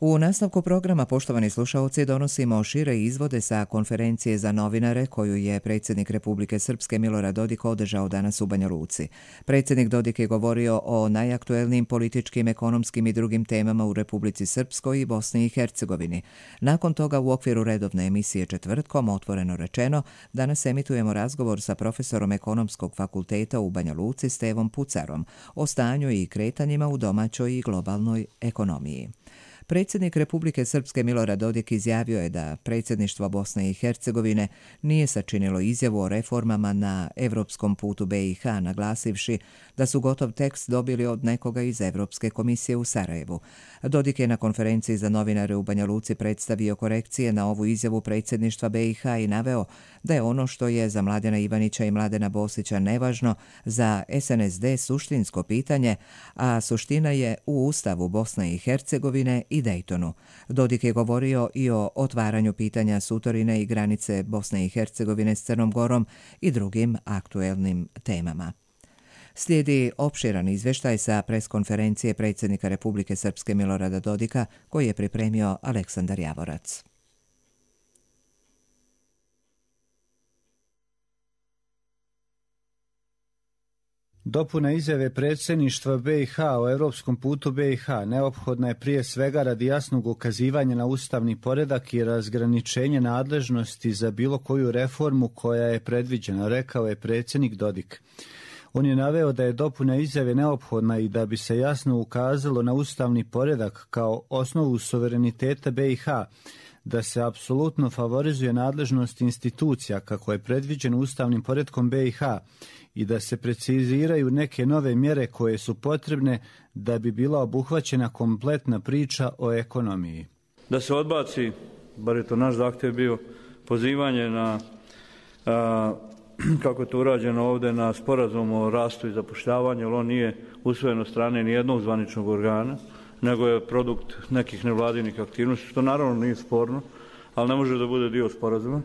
U nastavku programa, poštovani slušaoci, donosimo šire izvode sa konferencije za novinare koju je predsjednik Republike Srpske Milorad Dodik održao danas u Banja Luci. Predsjednik Dodik je govorio o najaktuelnijim političkim, ekonomskim i drugim temama u Republici Srpskoj i Bosni i Hercegovini. Nakon toga, u okviru redovne emisije Četvrtkom, otvoreno rečeno, danas emitujemo razgovor sa profesorom Ekonomskog fakulteta u Banja Luci Stevom Pucarom o stanju i kretanjima u domaćoj i globalnoj ekonomiji. Predsjednik Republike Srpske Milorad Dodik izjavio je da predsjedništvo Bosne i Hercegovine nije sačinilo izjavu o reformama na evropskom putu BiH, naglasivši da su gotov tekst dobili od nekoga iz Evropske komisije u Sarajevu. Dodik je na konferenciji za novinare u Banja Luci predstavio korekcije na ovu izjavu predsjedništva BiH i naveo da je ono što je za Mladena Ivanića i Mladena Bosića nevažno, za SNSD suštinsko pitanje, a suština je u Ustavu Bosne i Hercegovine i Dejtonu. Dodik je govorio i o otvaranju pitanja Sutorine i granice Bosne i Hercegovine s Crnom Gorom i drugim aktuelnim temama. Slijedi opširan izvještaj sa preskonferencije predsjednika Republike Srpske Milorada Dodika koji je pripremio Aleksandar Javorac. Dopuna izjave predsjedništva BiH o europskom putu BiH neophodna je prije svega radi jasnog ukazivanja na ustavni poredak i razgraničenje nadležnosti za bilo koju reformu koja je predviđena, rekao je predsjednik Dodik. On je naveo da je dopuna izjave neophodna i da bi se jasno ukazalo na ustavni poredak kao osnovu suvereniteta BiH, da se apsolutno favorizuje nadležnost institucija kako je predviđeno ustavnim poretkom BiH i da se preciziraju neke nove mjere koje su potrebne da bi bila obuhvaćena kompletna priča o ekonomiji. Da se odbaci, bar je to naš zahtjev bio, pozivanje na, kako je to urađeno ovdje, na sporazum o rastu i zapošljavanju, jer on nije usvojen od strane nijednog zvaničnog organa, nego je produkt nekih nevladinih aktivnosti, što naravno nije sporno, ali ne može da bude dio sporazuma.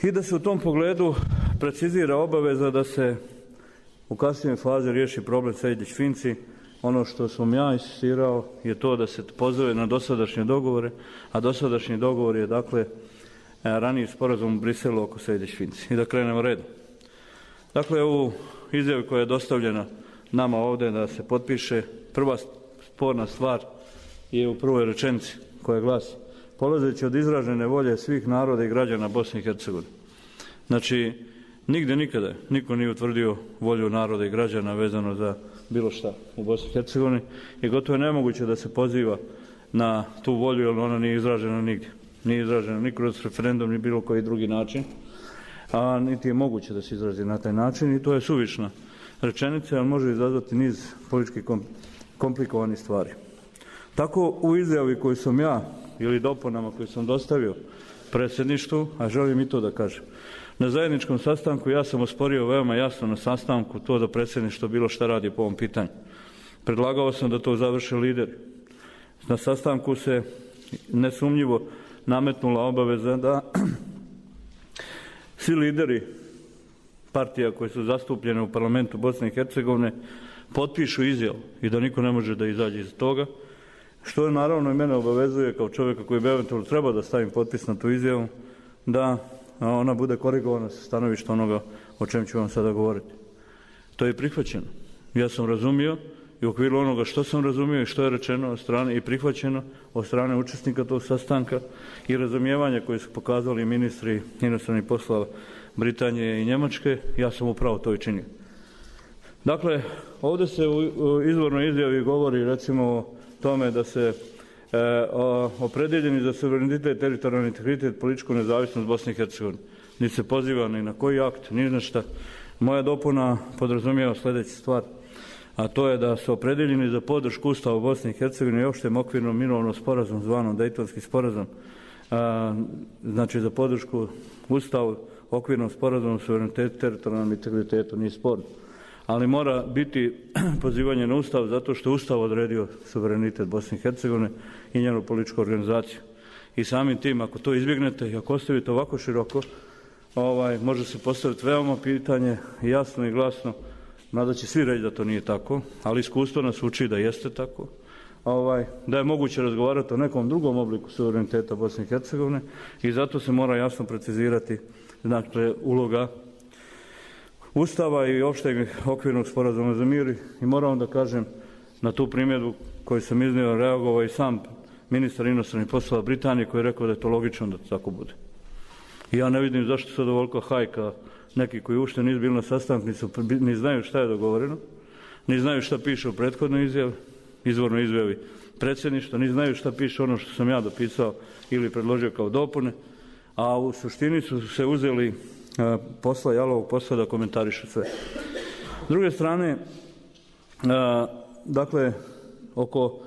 I da se u tom pogledu precizira obaveza da se u kasnijoj fazi riješi problem Sejdić-Finci. Ono što sam ja insistirao je to da se pozove na dosadašnje dogovore, a dosadašnji dogovor je dakle raniji sporazum u Briselu oko Sejdić-Finci. I da krenemo redom. Dakle, u izjavi koja je dostavljena nama ovdje da se potpiše, prva sporna stvar je u prvoj rečenici koja glasi: polazeći od izražene volje svih naroda i građana Bosne i Hercegovine. Znači, nigdje nikada niko nije utvrdio volju naroda i građana vezano za bilo šta u Bosni i Hercegovini i gotovo je nemoguće da se poziva na tu volju, jer ona nije izražena nigdje. Nije izražena ni kroz referendum, ni bilo koji drugi način, a niti je moguće da se izrazi na taj način i to je suvišna rečenica, ali može izazvati niz politički komplikovanih stvari. Tako u izjavi koju sam ja ili dopunama koje sam dostavio predsjedništvu, a želim i to da kažem. Na zajedničkom sastanku ja sam osporio veoma jasno na sastanku to da predsjedništvo bilo šta radi po ovom pitanju. Predlagao sam da to završe lideri. Na sastanku se nesumnjivo nametnula obaveza da svi lideri partija koje su zastupljene u parlamentu Bosne i Hercegovine potpišu izjavu i da niko ne može da izađe iz toga, što je naravno i mene obavezuje kao čovjeka koji bi eventualno trebao da stavim potpis na tu izjavu, da ona bude korigovana sa stanovišta onoga o čem ću vam sada govoriti. To je prihvaćeno. Ja sam razumio i u okviru onoga što sam razumio i što je rečeno od strane i prihvaćeno od strane učesnika tog sastanka i razumijevanja koje su pokazali ministri inostranih poslova Britanije i Njemačke, ja sam upravo to i činio. Dakle, ovdje se u izvornoj izjavi govori recimo o tome da se opredjeljeni za suverenitet, teritorijalni integritet, političku nezavisnost Bosne i Hercegovine. Niti se poziva ni na koji akt, ni na šta. Moja dopuna podrazumijeva sljedeću stvar, a to je da su opredjeljeni za podršku Ustava Bosne i Hercegovine i opštem okvirnom mirovnom sporazum zvanom Dejtonski sporazum, znači za podršku Ustavu, okvirnom sporazumu, suverenitetu, teritorijalnom integritetu, nije sporno. Ali mora biti pozivanje na Ustav zato što Ustav odredio suverenitet Bosne i Hercegovine i njenu političku organizaciju. I samim tim, ako to izbjegnete i ako ostavite ovako široko, može se postaviti veoma pitanje jasno i glasno, mada će svi reći da to nije tako, ali iskustvo nas uči da jeste tako, da je moguće razgovarati o nekom drugom obliku suvereniteta Bosne i Hercegovine i zato se mora jasno precizirati dakle, uloga Ustava i opšteg okvirnog sporazuma za mir i moram da kažem na tu primjedbu koju sam iznio reagovao i sam ministar inostranih poslova Britanije koji je rekao da je to logično da to tako bude. I ja ne vidim zašto sad ovoliko hajka neki koji uopšte nisu bili na sastanku, ni znaju šta je dogovoreno, ni znaju šta piše u prethodnoj izjavi, izvornoj izjavi predsjedništva, ni znaju šta piše ono što sam ja dopisao ili predložio kao dopune, a u suštini su se uzeli posla, jalovog posla da komentarišu sve. S druge strane, dakle, oko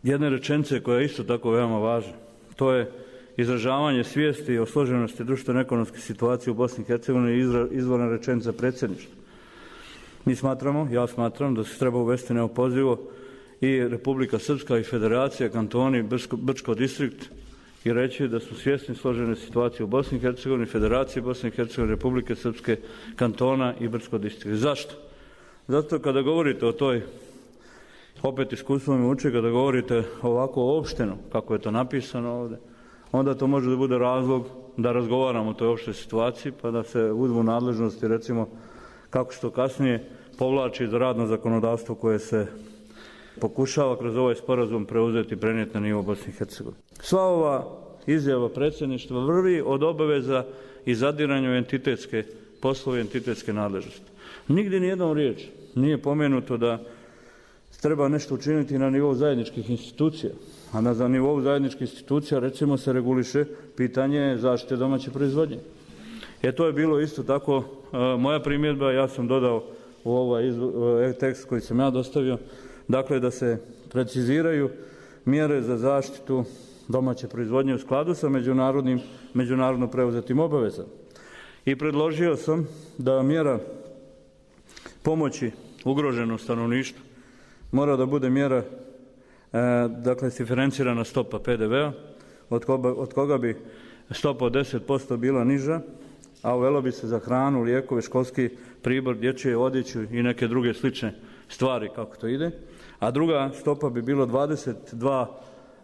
jedne rečenice koja je isto tako veoma važna, to je izražavanje svijesti o složenosti društveno-ekonomske situacije u Bosni i Hercegovini i izvorna rečenica predsjedništva. Mi smatramo, ja smatram da se treba uvesti neopozivo i Republika Srpska i Federacija, kantoni, Brčko distrikt i reći da su svjesni složene situacije u Bosni i Hercegovini, Federacije Bosne i Hercegovine, Republike Srpske, kantona i Brčko distrikt. Zašto? Zato kada govorite o toj, opet iskustvom me uči, kada govorite ovako opšteno, kako je to napisano ovdje, onda to može da bude razlog da razgovaramo o toj opštoj situaciji, pa da se uzmu nadležnosti, recimo, kako se to kasnije povlači za radno zakonodavstvo koje se pokušava kroz ovaj sporazum preuzeti i prenijeti na nivo Bosne i Hercegovine. Sva ova izjava predsjedništva vrvi od obaveza i zadiranja u entitetske poslove i entitetske nadležnosti. Nigdje nijednom riječ nije pomenuto da treba nešto učiniti na nivou zajedničkih institucija, a na nivou zajedničkih institucija recimo se reguliše pitanje zaštite domaće proizvodnje. To je bilo isto tako moja primjedba, ja sam dodao u ovaj tekst koji sam ja dostavio, dakle da se preciziraju mjere za zaštitu domaće proizvodnje u skladu sa međunarodno preuzetim obavezama. I predložio sam da mjera pomoći ugroženom stanovništvu mora da bude mjera, dakle, diferencirana stopa PDV-a, od koga bi stopa od 10% bila niža, a uvelo bi se za hranu, lijekove, školski pribor, dječje odjeću i neke druge slične stvari kako to ide, a druga stopa bi bila 22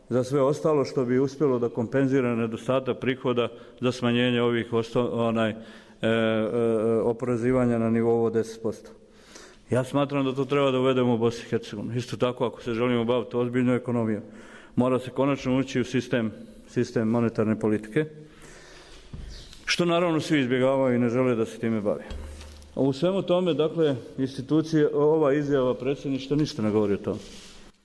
za sve ostalo što bi uspjelo da kompenzira nedostatak prihoda za smanjenje ovih oporezivanja na nivou od 10%. Ja smatram da to treba da uvedemo u Bosni i Hercegovini. Isto tako, ako se želimo baviti ozbiljnom ekonomijom, mora se konačno ući u sistem monetarne politike, što naravno svi izbjegavaju i ne žele da se time bave. U svemu tome, dakle, institucije, ova izjava predsjedništva ništa ne govori o tome.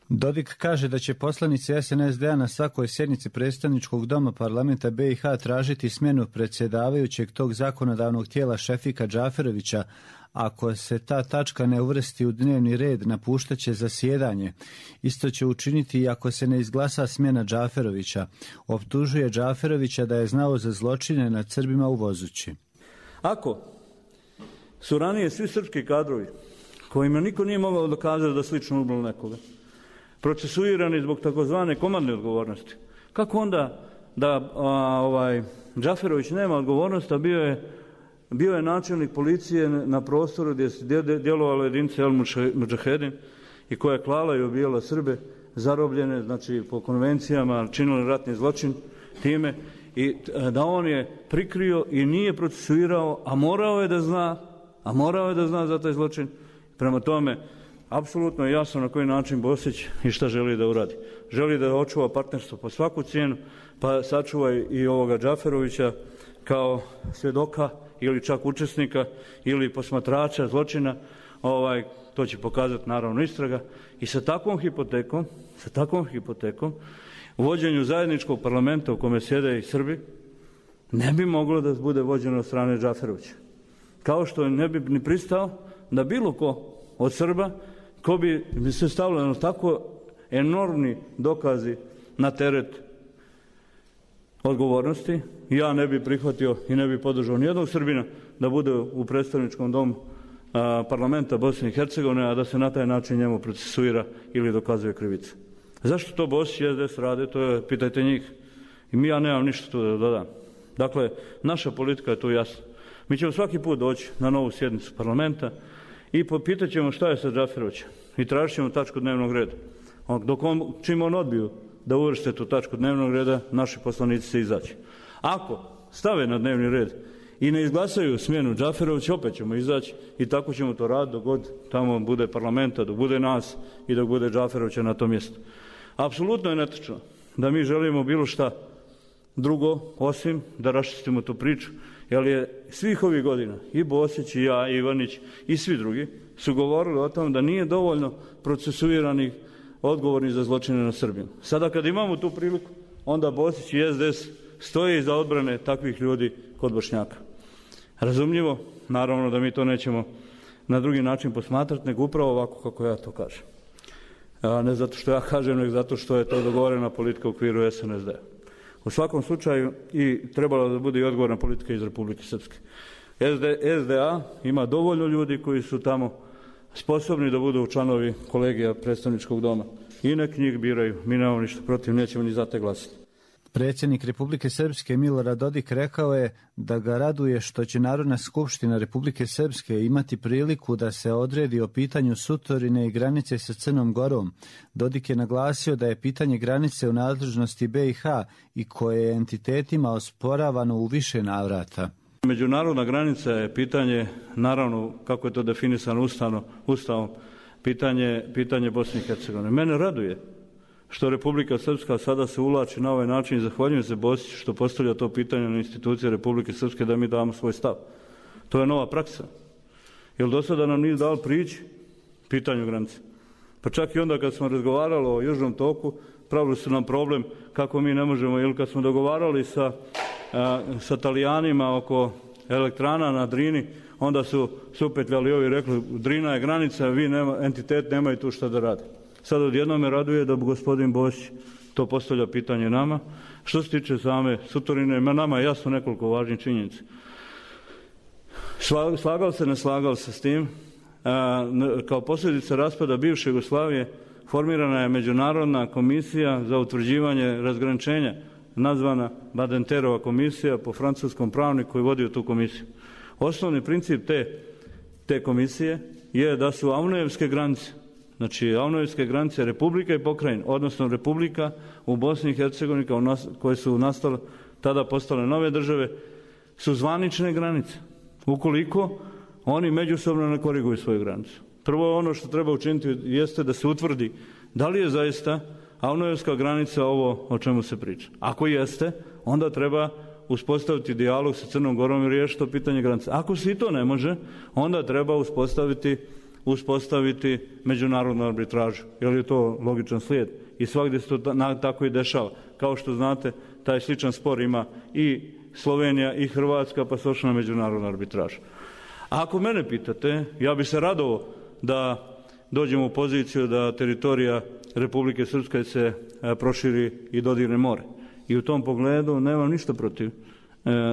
Dodik kaže da će poslanici SNSD-a na svakoj sjednici predstavničkog doma parlamenta BiH tražiti smjenu predsjedavajućeg tog zakonodavnog tijela Šefika Džaferovića. Ako se ta tačka ne uvrsti u dnevni red, napuštaće zasjedanje. Isto će učiniti i ako se ne izglasa smjena Džaferovića. Optužuje Džaferovića da je znao za zločine nad Srbima u Vozući. Ako su ranije svi srpski kadrovi, kojima niko nije mogao dokazati da slično ubilo nekoga, procesuirani zbog takozvane komandne odgovornosti, kako onda da Džaferović nema odgovornost, a bio je načelnik policije na prostoru gdje se djelovalo jedinice El Mudžahedin i koja je klala i ubijala Srbe, zarobljene, znači po konvencijama činili ratni zločin time, i da on je prikrio i nije procesuirao, a morao je da zna za taj zločin. Prema tome, apsolutno je jasno na koji način Bosić i šta želi da uradi. Želi da očuva partnerstvo po svaku cijenu, pa sačuva i ovoga Džaferovića kao svjedoka ili čak učesnika ili posmatrača zločina, to će pokazati naravno istraga. I sa takvom hipotekom u vođenju zajedničkog parlamenta u kome sjede i Srbi ne bi moglo da bude vođeno od strane Džaferovića. Kao što ne bi ni pristao da bilo ko od Srba, ko bi se stavljeno tako enormni dokazi na teret odgovornosti, ja ne bi prihvatio i ne bi podržao nijednog Srbina da bude u predstavničkom domu parlamenta Bosne i Hercegovine, a da se na taj način njemu procesuira ili dokazuje krivica. Zašto to Bosić i SDS rade, to je, pitajte njih. I ja nemam ništa tu da dodam. Dakle, naša politika je tu jasna. Mi ćemo svaki put doći na novu sjednicu parlamenta i pitat ćemo šta je sa Džaferovićem. i tražit ćemo tačku dnevnog reda. Čim on odbiju da uvrste tu tačku dnevnog reda, naši poslanici se izaći. Ako stave na dnevni red i ne izglasaju smjenu Džaferovića, opet ćemo izaći i tako ćemo to raditi dok god tamo bude parlamenta, dok bude nas i dok bude Džaferovića na tom mjestu. Apsolutno je netočno da mi želimo bilo šta drugo, osim da raščistimo tu priču, jer je svih ovih godina i Bosić i ja, i Ivanić i svi drugi su govorili o tom da nije dovoljno procesuiranih odgovorni za zločine na Srbiju. Sada kad imamo tu priliku, onda Bosić i SDS stoje iza odbrane takvih ljudi kod Bošnjaka. Razumljivo, naravno da mi to nećemo na drugi način posmatrati, nego upravo ovako kako ja to kažem. A ne zato što ja kažem, nego zato što je to dogovorena politika u okviru SNSD-a. U svakom slučaju i trebalo da bude i odgovorna politika iz Republike Srpske. SDA ima dovoljno ljudi koji su tamo sposobni da budu članovi kolegija predstavničkog doma. I nek njih biraju. Mi nemamo ništa protiv, nećemo ni za te glasiti. Predsjednik Republike Srpske Milorad Dodik rekao je da ga raduje što će Narodna skupština Republike Srpske imati priliku da se odredi o pitanju Sutorine i granice sa Crnom Gorom. Dodik je naglasio da je pitanje granice u nadležnosti BiH i koje je entitetima osporavano u više navrata. Međunarodna granica je pitanje, naravno kako je to definisano Ustavom, pitanje Bosne i Hercegovine. Mene raduje što Republika Srpska sada se uvlači na ovaj način i zahvaljujem se Bosiću što postavlja to pitanje na institucije Republike Srpske da mi damo svoj stav. To je nova praksa. Jer do sada nam nije dal prići pitanju granice. Pa čak i onda kad smo razgovarali o Južnom toku, pravili su nam problem kako mi ne možemo, ili kad smo dogovarali sa Talijanima oko elektrana na Drini, onda su supetljali ovi rekli Drina je granica, vi entitet nemaju tu šta da rade. Sad odjednom me raduje da gospodin Bosić to postavlja pitanje nama. Što se tiče same Sutorine, nama je jasno nekoliko važnih činjenica. Slagao se, ne slagao se s tim. Kao posljedica raspada bivše Jugoslavije formirana je Međunarodna komisija za utvrđivanje razgraničenja, nazvana Badenterova komisija po francuskom pravniku koji vodio tu komisiju. Osnovni princip te komisije je da su Avnojevske granice, znači Avnojevske granice Republika i pokrajine, odnosno Republika u Bosni i Hercegovini koje su nastale, tada postale nove države, su zvanične granice. Ukoliko oni međusobno ne koriguju svoju granicu. Prvo ono što treba učiniti jeste da se utvrdi da li je zaista Avnojevska granica ovo o čemu se priča. Ako jeste, onda treba uspostaviti dijalog sa Crnom Gorom i riješiti to pitanje granice. Ako se i to ne može, onda treba uspostaviti međunarodnu arbitražu, jer je to logičan slijed. I svakdje se to tako i dešava. Kao što znate, taj sličan spor ima i Slovenija i Hrvatska, pa se ošla na međunarodnu arbitražu. A ako mene pitate, ja bi se radovao da dođemo u poziciju da teritorija Republike Srpske se proširi i dodirne more. I u tom pogledu nemam ništa protiv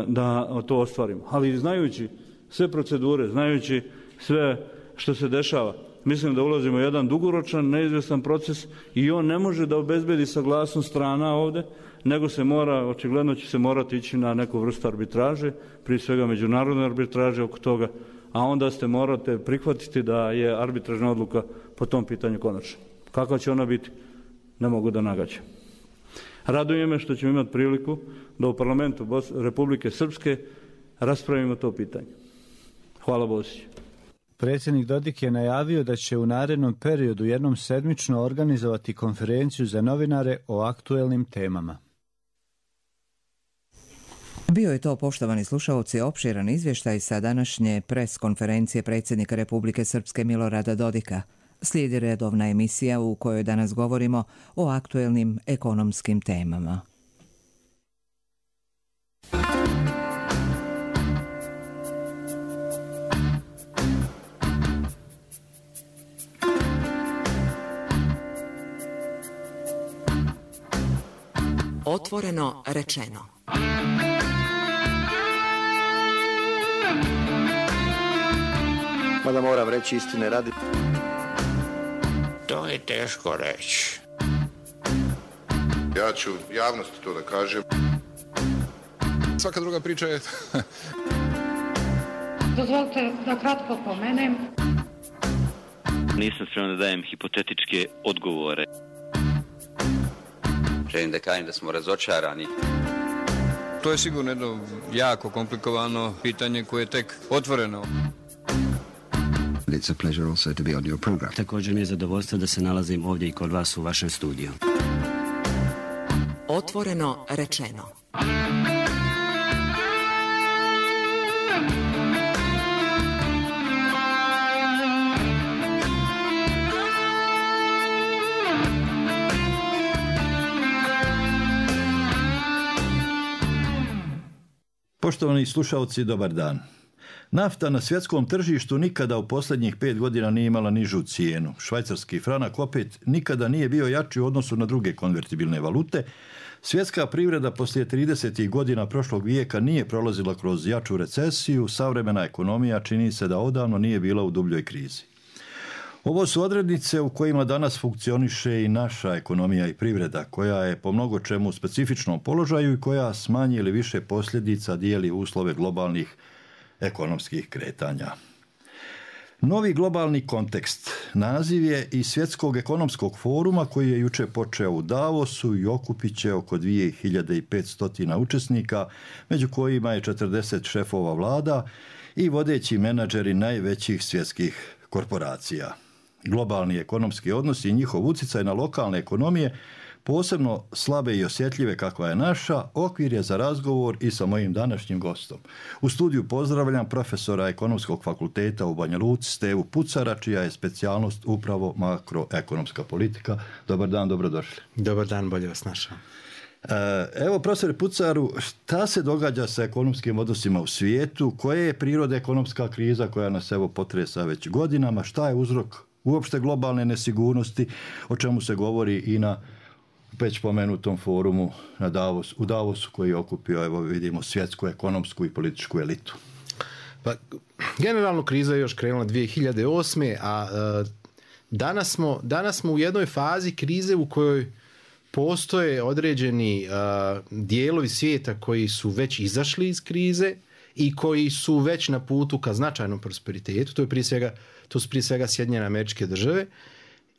da to ostvarimo. Ali znajući sve procedure, znajući sve što se dešava, mislim da ulazimo u jedan dugoročan, neizvjestan proces i on ne može da obezbedi saglasnost strana ovde, nego se mora, očigledno će se morati ići na neku vrstu arbitraže, prije svega međunarodne arbitraže oko toga, a onda morate prihvatiti da je arbitražna odluka po tom pitanju konačna. Kakva će ona biti? Ne mogu da nagađam. Raduje me što ćemo imati priliku da u parlamentu Republike Srpske raspravimo to pitanje. Hvala Bosiću. Predsjednik Dodik je najavio da će u narednom periodu jednom sedmično organizovati konferenciju za novinare o aktuelnim temama. Bio je to, poštovani slušaoci, opširan izvještaj sa današnje pres konferencije predsjednika Republike Srpske Milorada Dodika. Slijedi redovna emisija u kojoj danas govorimo o aktuelnim ekonomskim temama. Otvoreno rečeno. Mada moram reći istine radi. To je teško reći. Ja ću javnosti to da kažem. Svaka druga priča je... Dozvolite da kratko pomenem. Nisam spreman da dajem hipotetičke odgovore. Želim da kažem da smo razočarani. To je sigurno jedno jako komplikovano pitanje koje je tek otvoreno. It's a pleasure also to be on your program. Također mi je zadovoljstvo da se nalazim ovdje i kod vas u vašem studiju. Otvoreno rečeno. Poštovani slušalci, dobar dan. Nafta na svjetskom tržištu nikada u posljednjih 5 godina nije imala nižu cijenu. Švajcarski franak opet nikada nije bio jači u odnosu na druge konvertibilne valute. Svjetska privreda poslije 30. godina prošlog vijeka nije prolazila kroz jaču recesiju, savremena ekonomija čini se da odavno nije bila u dubljoj krizi. Ovo su odrednice u kojima danas funkcioniše i naša ekonomija i privreda, koja je po mnogo čemu u specifičnom položaju i koja s manje ili više posljedica dijeli uslove globalnih ekonomskih kretanja. Novi globalni kontekst naziv je i Svjetskog ekonomskog foruma koji je jučer počeo u Davosu i okupit će oko 2500 učesnika, među kojima je 40 šefova vlada i vodeći menadžeri najvećih svjetskih korporacija. Globalni ekonomski odnosi i njihov utjecaj na lokalne ekonomije, posebno slabe i osjetljive kakva je naša, okvir je za razgovor i sa mojim današnjim gostom. U studiju pozdravljam profesora Ekonomskog fakulteta u Banja Luci Stevu Pucara, čija je specijalnost upravo makroekonomska politika. Dobar dan, dobrodošli. Dobar dan, bolje vas našao. Evo, profesore Pucaru, šta se događa sa ekonomskim odnosima u svijetu? Koje je priroda ekonomska kriza koja nas evo potresa već godinama? Šta je uzrok uopšte globalne nesigurnosti, o čemu se govori i na već pomenutom forumu u Davosu koji je okupio, evo vidimo, svjetsku ekonomsku i političku elitu? Pa, generalno kriza je još krenula 2008. a danas smo u jednoj fazi krize u kojoj postoje određeni dijelovi svijeta koji su već izašli iz krize i koji su već na putu ka značajnom prosperitetu. To su prije svega Sjedinjene Američke Države.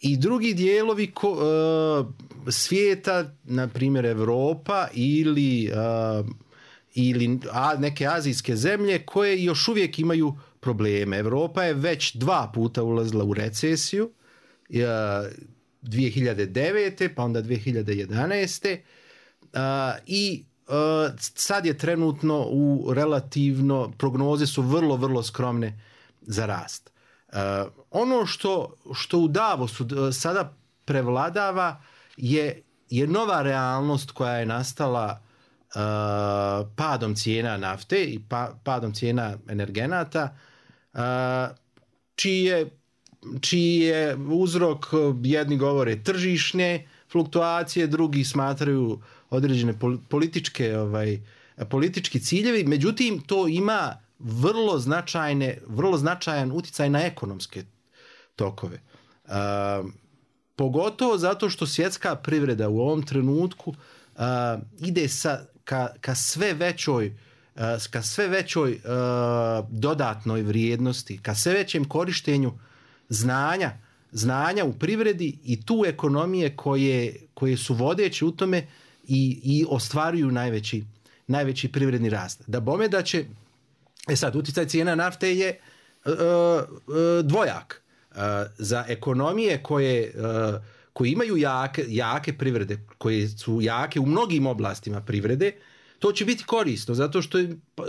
I drugi dijelovi svijeta, na primjer Europa ili neke azijske zemlje koje još uvijek imaju probleme. Europa je već 2 puta ulazila u recesiju, 2009. pa onda 2011. I sad je trenutno u relativno, prognoze su vrlo, vrlo skromne za rast. Ono što u Davosu sada prevladava je nova realnost koja je nastala padom cijena nafte i padom cijena energenata, čiji je uzrok, jedni govore tržišne fluktuacije, drugi smatraju određene politički ciljevi, međutim to ima vrlo značajan utjecaj na ekonomske tokove. Pogotovo zato što svjetska privreda u ovom trenutku ide ka sve većoj dodatnoj vrijednosti, ka sve većem korištenju znanja u privredi i tu ekonomije koje su vodeće u tome i ostvaruju najveći privredni rast. Da bome da će sad, utjecaj cijena nafte je dvojak. Za ekonomije koje imaju jake privrede, koje su jake u mnogim oblastima privrede, to će biti korisno, zato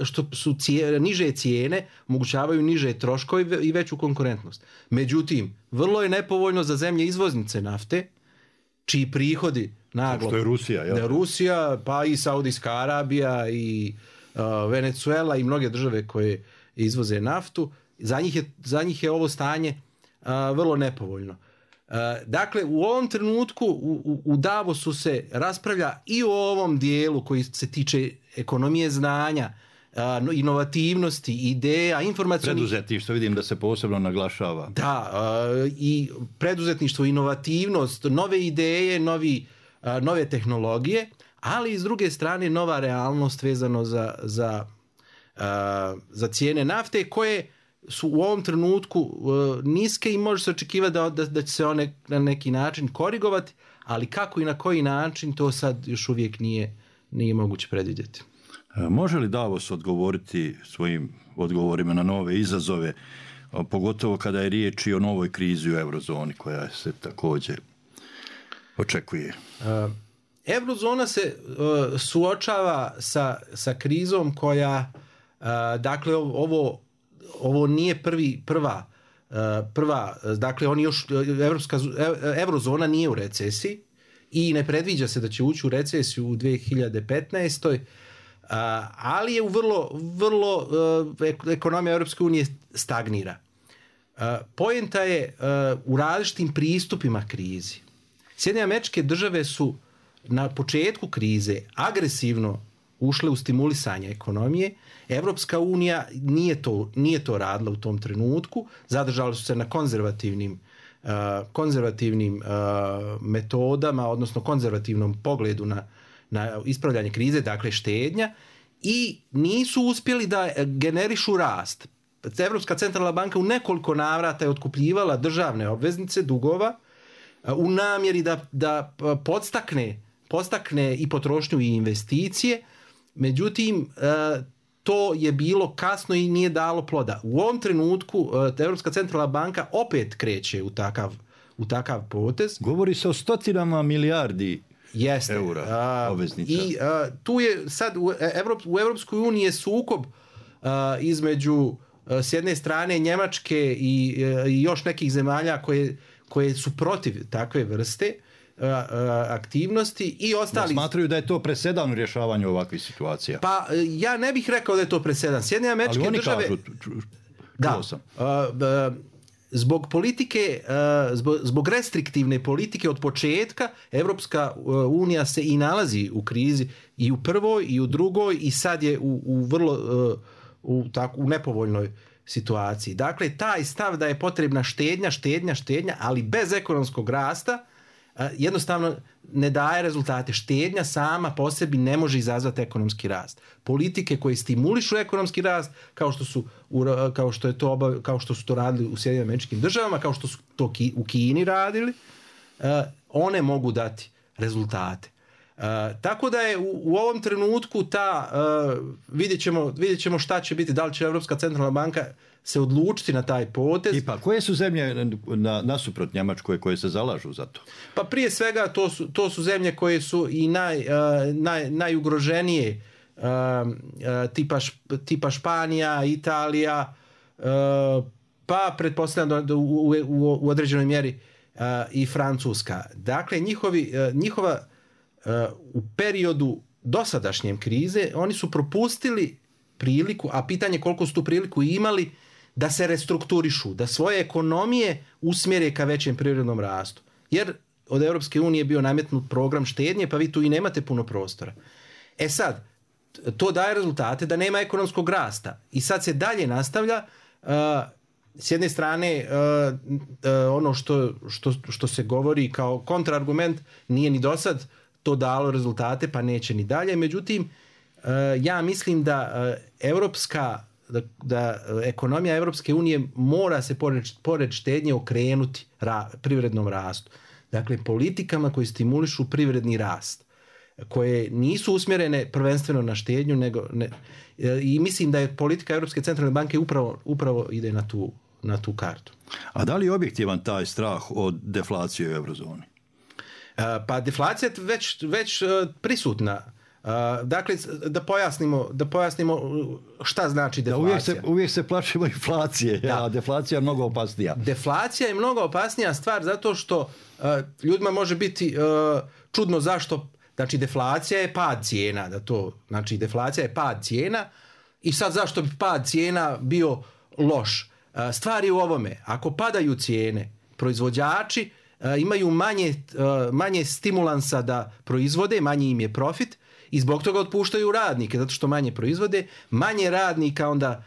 što su niže cijene, omogućavaju niže troškove i veću konkurentnost. Međutim, vrlo je nepovoljno za zemlje izvoznice nafte, čiji prihodi naglo... Što je Rusija, jel? Rusija, pa i Saudijska Arabija i Venezuela i mnoge države koje izvoze naftu, za njih je ovo stanje vrlo nepovoljno. Dakle, u ovom trenutku u Davosu se raspravlja i o ovom dijelu koji se tiče ekonomije znanja, inovativnosti, ideja, informacionih... Preduzetništvo, vidim da se posebno naglašava. Da, i preduzetništvo, inovativnost, nove ideje, nove tehnologije, ali i s druge strane nova realnost vezano za cijene nafte koje su u ovom trenutku niske i može se očekivati da će se one na neki način korigovati, ali kako i na koji način, to sad još uvijek nije moguće predvidjeti. Može li Davos odgovoriti svojim odgovorima na nove izazove, pogotovo kada je riječ i o novoj krizi u eurozoni koja se također očekuje? Eurozona se suočava sa krizom koja, dakle, ovo nije prva, dakle, eurozona nije u recesiji i ne predviđa se da će ući u recesiju u 2015. Ali je u vrlo ekonomija Europske unije stagnira. Poenta je u različitim pristupima krizi. Sjedinjene Američke Države su na početku krize agresivno ušle u stimulisanje ekonomije. Europska unija nije to radila u tom trenutku. Zadržali su se na konzervativnim metodama, odnosno konzervativnom pogledu na ispravljanje krize, dakle štednja, i nisu uspjeli da generišu rast. Europska centralna banka u nekoliko navrata je otkupljivala državne obveznice, dugova, u namjeri da podstakne i potrošnju i investicije. Međutim, to je bilo kasno i nije dalo ploda. U ovom trenutku Europska centralna banka opet kreće u takav potez. Govori se o stotinama milijardi eura obveznica. I tu je sad u Europskoj uniji je sukob između s jedne strane Njemačke i još nekih zemalja koje su protiv takve vrste aktivnosti i ostali. Smatraju da je to presedan u rješavanju ovakvih situacija. Pa ja ne bih rekao da je to presedan. Sjedinjene Američke Države... Kažu, Zbog politike, zbog restriktivne politike od početka, Europska unija se i nalazi u krizi i u prvoj i u drugoj i sad je u nepovoljnoj situaciji. Dakle, taj stav da je potrebna štednja, ali bez ekonomskog rasta, jednostavno ne daje rezultate. Štednja sama po sebi ne može izazvati ekonomski rast. Politike koje stimulišu ekonomski rast, kao što su to radili u Sjedinjenim Američkim Državama, kao što su to u Kini radili, one mogu dati rezultate. Tako da je u ovom trenutku vidjet ćemo šta će biti, da li će Europska centralna banka se odlučiti na taj potez. I pa koje su zemlje nasuprot Njemačkoj koje se zalažu za to? Pa prije svega to su zemlje koje su i najugroženije, tipa Španija, Italija, pa pretpostavljam da u određenoj mjeri i Francuska. Dakle, njihova u periodu dosadašnje krize oni su propustili priliku, a pitanje koliko su tu priliku imali, da se restrukturišu, da svoje ekonomije usmjere ka većem privrednom rastu. Jer od Europske unije je bio nametnut program štednje, pa vi tu i nemate puno prostora. Što daje rezultate da nema ekonomskog rasta. I sad se dalje nastavlja, s jedne strane ono što se govori kao kontraargument nije ni dosad to dalo rezultate, pa neće ni dalje. Međutim, ja mislim da ekonomija Europske unije mora se pored štednje okrenuti privrednom rastu. Dakle, politikama koje stimulišu privredni rast, koje nisu usmjerene prvenstveno na štednju, i mislim da je politika Europske centralne banke upravo ide na tu kartu. A da li je objektivan taj strah od deflacije u eurozoni? Pa deflacija je već prisutna. Dakle, da pojasnimo šta znači deflacija. Uvijek se plašimo inflacije, a deflacija je mnogo opasnija. Deflacija je mnogo opasnija stvar zato što ljudima može biti čudno zašto. Znači, deflacija je pad cijena. Deflacija je pad cijena i sad zašto bi pad cijena bio loš? Stvar je u ovome. Ako padaju cijene, proizvođači imaju manje stimulansa da proizvode, manji im je profit i zbog toga otpuštaju radnike, zato što manje proizvode, manje radnika onda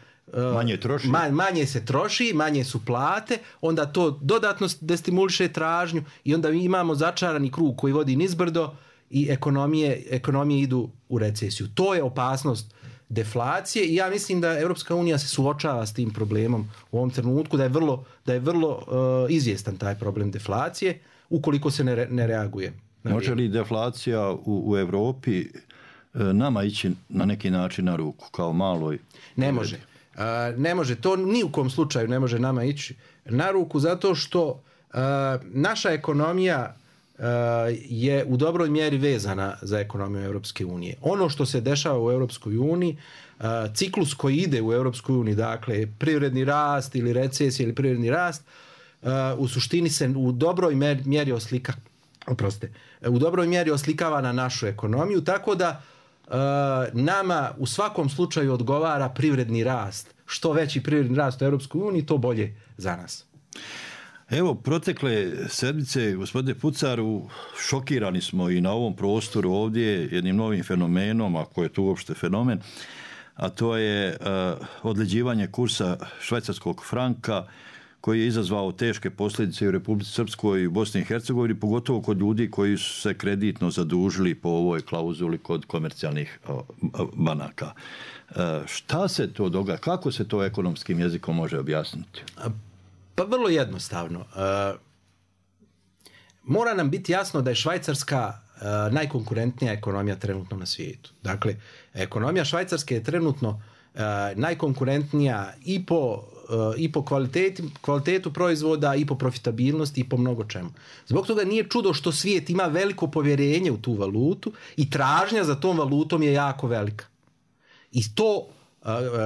manje se troši, manje su plate, onda to dodatno destimuliše tražnju i onda imamo začarani krug koji vodi nizbrdo i ekonomije idu u recesiju. To je opasnost deflacije i ja mislim da Europska unija se suočava s tim problemom u ovom trenutku, da je vrlo izvjestan taj problem deflacije ukoliko se ne reaguje. Može li deflacija u Europi nama ići na neki način na ruku kao maloj? Ne može. Ne može. To ni u kom slučaju ne može nama ići na ruku zato što naša ekonomija je u dobroj mjeri vezana za ekonomiju Europske unije. Ono što se dešava u Europskoj uniji, ciklus koji ide u Europskoj uniji, dakle privredni rast ili recesija ili privredni rast, u suštini se u dobroj mjeri oslikava na našu ekonomiju, tako da nama u svakom slučaju odgovara privredni rast. Što veći privredni rast u Europskoj uniji, to bolje za nas. Evo, protekle sedmice, gospodine Pucaru, šokirani smo i na ovom prostoru ovdje jednim novim fenomenom, ako je to uopšte fenomen, a to je odleđivanje kursa švajcarskog franka koji je izazvao teške posljedice u Republici Srpskoj i Bosni i Hercegovini, pogotovo kod ljudi koji su se kreditno zadužili po ovoj klauzuli kod komercijalnih banaka. Šta se to događa? Kako se to ekonomskim jezikom može objasniti? Pa vrlo jednostavno. Mora nam biti jasno da je Švajcarska najkonkurentnija ekonomija trenutno na svijetu. Dakle, ekonomija Švajcarske je trenutno najkonkurentnija i po kvalitetu proizvoda, i po profitabilnosti, i po mnogo čemu. Zbog toga nije čudo što svijet ima veliko povjerenje u tu valutu i tražnja za tom valutom je jako velika. I to,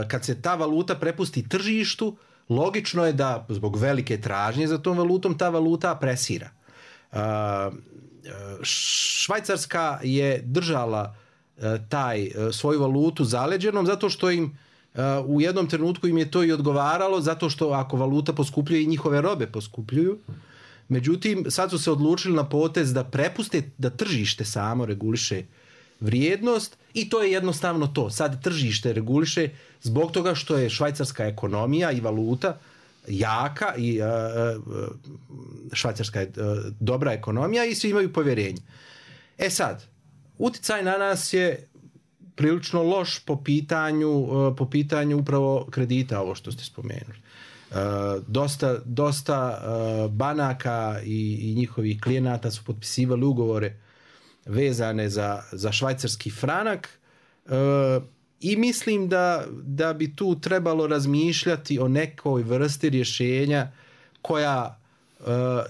kad se ta valuta prepusti tržištu, logično je da zbog velike tražnje za tom valutom ta valuta presira. Švajcarska je držala svoju valutu zaleđenom zato što im u jednom trenutku im je to i odgovaralo, zato što ako valuta poskupljuje i njihove robe poskupljuju. Međutim, sad su se odlučili na potez da prepuste da tržište samo reguliše vrijednost i to je jednostavno to. Sad tržište reguliše zbog toga što je švajcarska ekonomija i valuta jaka i švajcarska je dobra ekonomija i svi imaju povjerenje. E sad, utjecaj na nas je prilično loš po pitanju upravo kredita, ovo što ste spomenuli. Dosta banaka i njihovih klijenata su potpisivali ugovore vezane za švajcarski franak i mislim da bi tu trebalo razmišljati o nekoj vrsti rješenja koja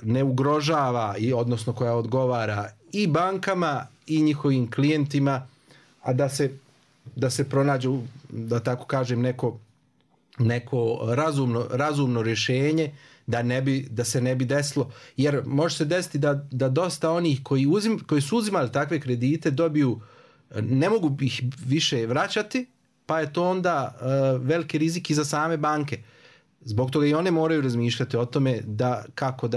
ne ugrožava odnosno koja odgovara i bankama i njihovim klijentima, a da se pronađe, da tako kažem, neko razumno rješenje da se ne bi desilo, jer može se desiti da dosta onih koji su uzimali takve kredite ne mogu ih više vraćati, pa je to onda veliki rizik i za same banke. Zbog toga i one moraju razmišljati o tome kako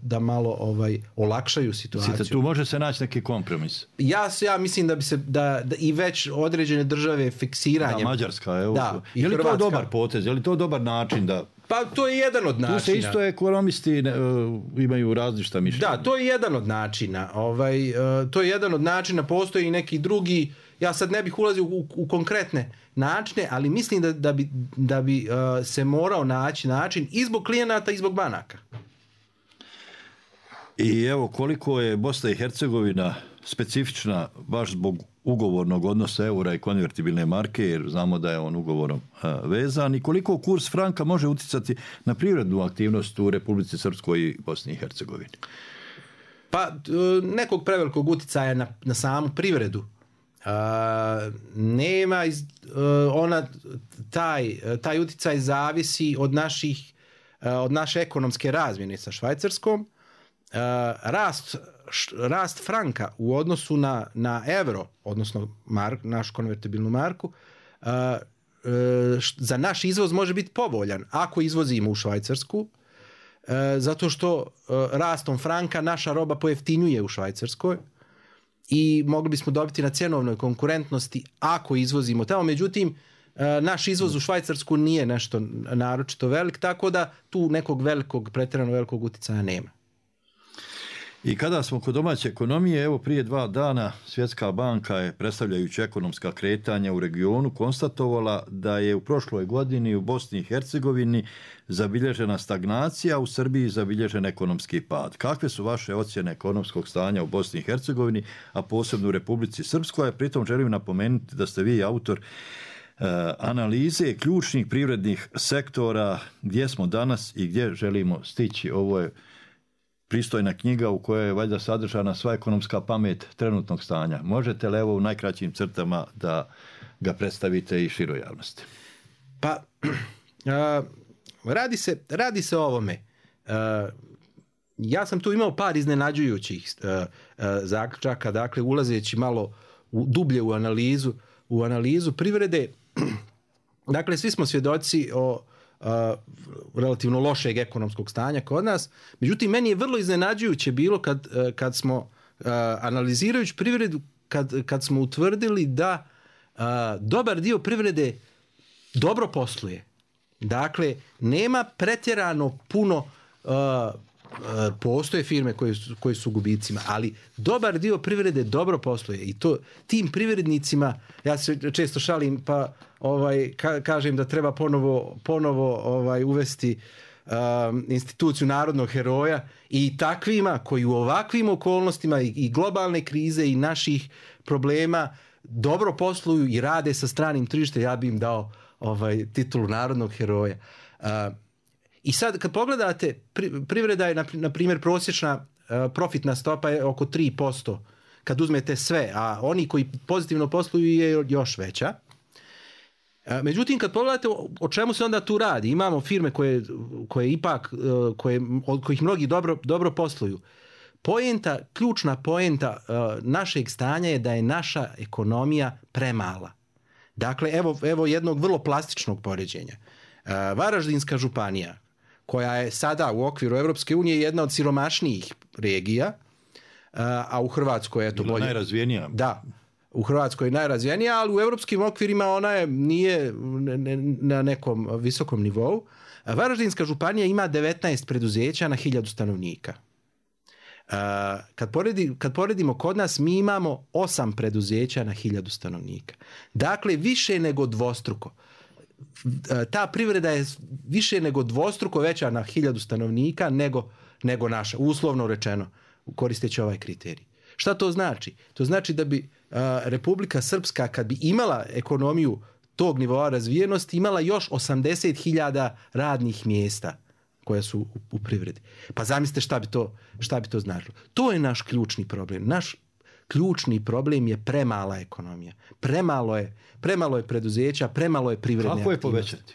da malo olakšaju situaciju. Tu može se naći neki kompromis. Ja mislim da bi se da i već određene države fiksiranjem. Da, Mađarska, evo. Da, je li to dobar potez? Je li to dobar način da... Pa to je jedan od načina. Tu se isto ekonomisti imaju različita mišljenja. Da, to je jedan od načina. To je jedan od načina, postoji i neki drugi. Ja sad ne bih ulazio u konkretne načine, ali mislim da bi se morao naći način i zbog klijenata i zbog banaka. I evo koliko je Bosna i Hercegovina specifična baš zbog ugovornog odnosa eura i konvertibilne marke, jer znamo da je on ugovorom vezan, i koliko kurs franka može utjecati na privrednu aktivnost u Republici Srpskoj i Bosni i Hercegovini? Pa nekog prevelikog utjecaja na samu privredu nema. Taj utjecaj zavisi od naše ekonomske razmjene sa Švajcarskom. Rast franka u odnosu na euro, odnosno našu konvertibilnu marku, za naš izvoz može biti povoljan ako izvozimo u Švajcarsku, zato što rastom franka naša roba pojeftinjuje u Švajcarskoj i mogli bismo dobiti na cjenovnoj konkurentnosti ako izvozimo tamo. Međutim, naš izvoz u Švajcarsku nije nešto naročito velik, tako da tu nekog pretjerano velikog utjecaja nema. I kada smo kod domaće ekonomije, evo prije 2 dana Svjetska banka je, predstavljajući ekonomska kretanja u regionu, konstatovala da je u prošloj godini u Bosni i Hercegovini zabilježena stagnacija, u Srbiji zabilježen ekonomski pad. Kakve su vaše ocjene ekonomskog stanja u Bosni i Hercegovini, a posebno u Republici Srpskoj? Pritom želim napomenuti da ste vi autor analize ključnih privrednih sektora, gdje smo danas i gdje želimo stići. Ovo je pristojna knjiga u kojoj je valjda sadržana sva ekonomska pamet trenutnog stanja. Možete li evo u najkraćim crtama da ga predstavite i široj javnosti? Pa, radi se o ovome. Ja sam tu imao par iznenađujućih zaključaka, dakle ulazeći malo dublje u analizu privrede. Dakle, svi smo svjedoci o relativno lošeg ekonomskog stanja kod nas. Međutim, meni je vrlo iznenađujuće bilo kad smo analizirajući privredu, kad smo utvrdili da dobar dio privrede dobro posluje. Dakle, nema pretjerano puno, postoje firme koje su u gubicima, ali dobar dio privrede dobro posluje i to tim privrednicima, ja se često šalim pa kažem da treba ponovo uvesti instituciju narodnog heroja i takvima koji u ovakvim okolnostima i globalne krize i naših problema dobro posluju i rade sa stranim tržištem, ja bi im dao titulu narodnog heroja. I sad kad pogledate, privreda je na primjer prosječna profitna stopa je oko 3% kad uzmete sve, a oni koji pozitivno posluju je još veća. Međutim, kad pogledate o čemu se onda tu radi, imamo firme koje ipak, od kojih mnogi dobro posluju. Ključna poenta našeg stanja je da je naša ekonomija premala. Dakle, evo jednog vrlo plastičnog poređenja. Varaždinska županija, koja je sada u okviru Europske unije jedna od siromašnijih regija, a u Hrvatskoj je to bolje. Najrazvijenija. Da, u Hrvatskoj je najrazvijenija, ali u europskim okvirima ona nije na nekom visokom nivou. Varaždinska županija ima 19 preduzeća na 1000 stanovnika. Kad poredimo kod nas, mi imamo 8 preduzeća na 1000 stanovnika. Dakle, više nego dvostruko. Ta privreda je više nego dvostruko veća na 1000 stanovnika nego naša, uslovno rečeno, koristeći ovaj kriterij. Šta to znači? To znači da bi Republika Srpska, kad bi imala ekonomiju tog nivoa razvijenosti, imala još 80.000 radnih mjesta koja su u privredi. Pa zamislite šta bi to značilo. To je naš ključni problem. Naš ključni problem je premala ekonomija. Premalo je preduzeća, premalo je privredne aktivnosti. Kako je povećati?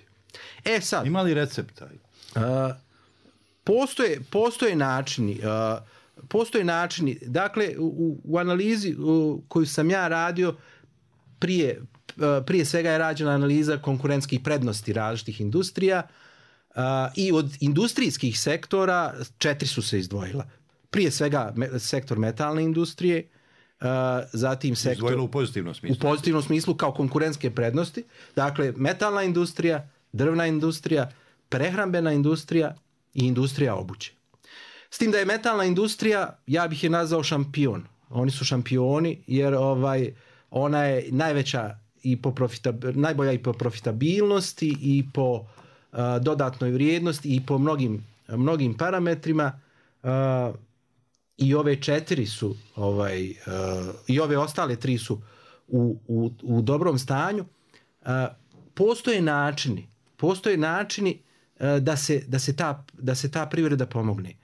Sad, ima li recepta? Postoje načini. Dakle, u analizi koju sam ja radio, prije svega je rađena analiza konkurentskih prednosti različitih industrija i od industrijskih sektora 4 su se izdvojila. Prije svega sektor metalne industrije, zatim sektor... Izdvojilo u pozitivnom smislu. U pozitivnom smislu kao konkurentske prednosti. Dakle, metalna industrija, drvna industrija, prehrambena industrija i industrija obuće. S tim da je metalna industrija, ja bih je nazvao šampion. Oni su šampioni jer ona je najveća i najbolja i po profitabilnosti i po dodatnoj vrijednosti i po mnogim parametrima. I ove 4 su i ove ostale 3 su u dobrom stanju. Postoje načini da se ta privreda pomogne.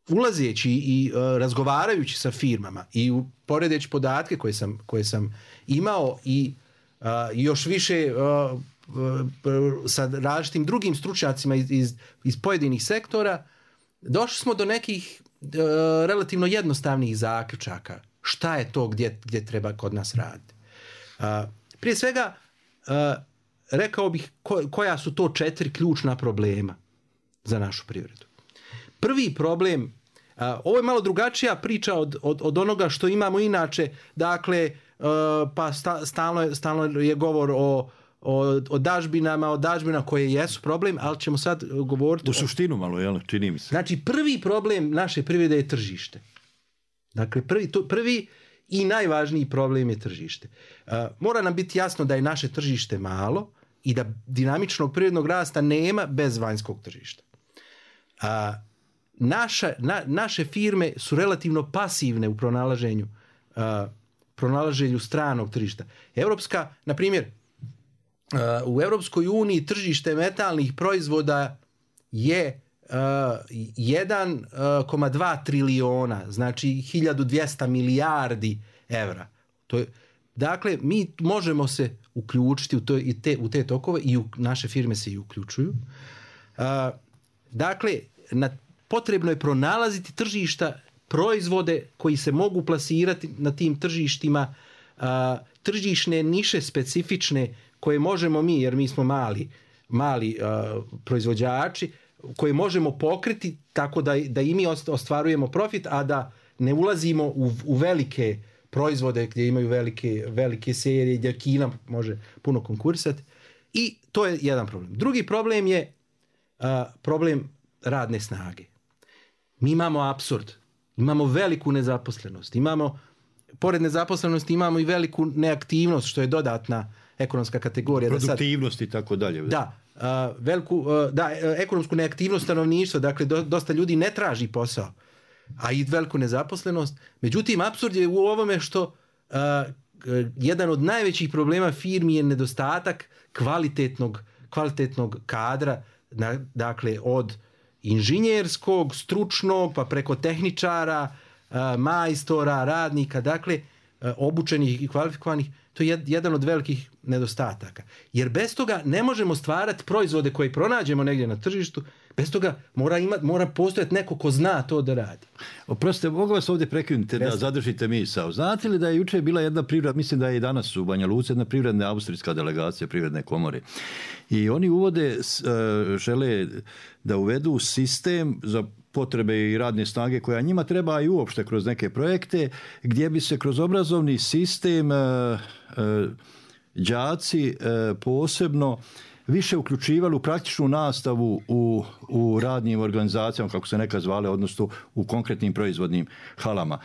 Ulazeći i razgovarajući sa firmama i poredeći podatke koje sam imao i još više sa različitim drugim stručnjacima iz pojedinih sektora, došli smo do nekih relativno jednostavnih zaključaka. Šta je to gdje treba kod nas raditi? Prije svega, rekao bih koja su to 4 ključna problema za našu privredu. Prvi problem, ovo je malo drugačija priča od onoga što imamo inače, dakle, pa stalno je govor o dažbinama koje jesu problem, ali ćemo sad govoriti... U suštinu malo, jel? Čini mi se. Znači, prvi problem naše privrede je tržište. Dakle, prvi i najvažniji problem je tržište. Mora nam biti jasno da je naše tržište malo i da dinamičnog privrednog rasta nema bez vanjskog tržišta. Naše firme su relativno pasivne u pronalaženju stranog tržišta. Na primjer, u Europskoj uniji tržište metalnih proizvoda je 1,2 trilijona, znači 1200 milijardi evra. Dakle, mi možemo se uključiti u te tokove i naše firme se i uključuju. Dakle, potrebno je pronalaziti tržišta, proizvode koji se mogu plasirati na tim tržištima, tržišne niše specifične koje možemo mi, jer mi smo mali proizvođači, koje možemo pokriti tako da i mi ostvarujemo profit, a da ne ulazimo u velike proizvode gdje imaju velike serije, gdje Kina može puno konkurisati. I to je jedan problem. Drugi problem je problem radne snage. Mi imamo apsurd. Imamo veliku nezaposlenost. Pored nezaposlenosti imamo i veliku neaktivnost, što je dodatna ekonomska kategorija. Produktivnost i tako dalje. Da, ekonomsku neaktivnost stanovništva, dakle dosta ljudi ne traži posao, a i veliku nezaposlenost. Međutim, apsurd je u ovome što jedan od najvećih problema firmi je nedostatak kvalitetnog kadra, dakle od inženjerskog, stručnog, pa preko tehničara, majstora, radnika, dakle obučenih i kvalifikovanih. To je jedan od velikih nedostataka. Jer bez toga ne možemo stvarati proizvode koje pronađemo negdje na tržištu, bez toga mora postojati neko ko zna to da radi. Oprostite, mogu vas ovdje prekinuti da zadržite misao. Znate li da je jučer bila jedna privredna, mislim da je i danas u Banja Luci, jedna privredna austrijska delegacija Privredne komore. I oni žele da uvedu sistem za potrebe i radne snage koja njima treba i uopšte kroz neke projekte, gdje bi se kroz obrazovni sistem đaci posebno više uključivali u praktičnu nastavu u radnim organizacijama, kako se nekad zvale, odnosno u konkretnim proizvodnim halama.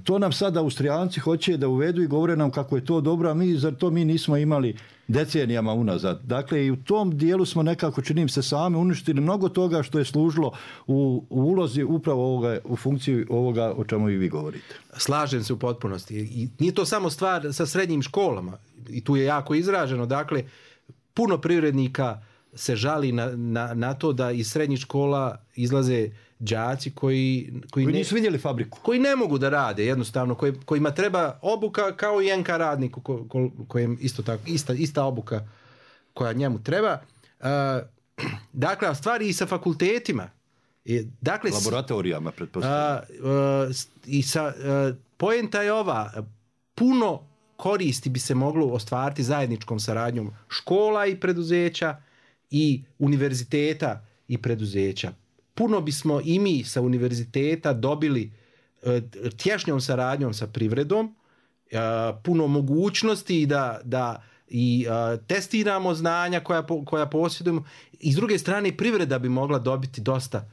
To nam sad Austrijanci hoće da uvedu i govore nam kako je to dobro, a zar to mi nismo imali decenijama unazad. Dakle, i u tom dijelu smo nekako, činim se, sami uništili mnogo toga što je služilo u ulozi upravo u funkciji ovoga o čemu i vi govorite. Slažem se u potpunosti. I nije to samo stvar sa srednjim školama. I tu je jako izraženo. Dakle, puno privrednika se žali na to da iz srednjih škola izlaze đaci koji nisu vidjeli fabriku. Koji ne mogu da rade, jednostavno, kojima treba obuka kao i NK radniku, kojem isto tako, ista obuka koja njemu treba. Dakle, stvari i sa fakultetima. Dakle, laboratorijama, pretpostavljam. Poenta je ova, puno koristi bi se moglo ostvariti zajedničkom saradnjom škola i preduzeća i univerziteta i preduzeća. Puno bismo i mi sa univerziteta dobili tješnjom saradnjom sa privredom, puno mogućnosti da testiramo znanja koja posjedujemo, i s druge strane privreda bi mogla dobiti dosta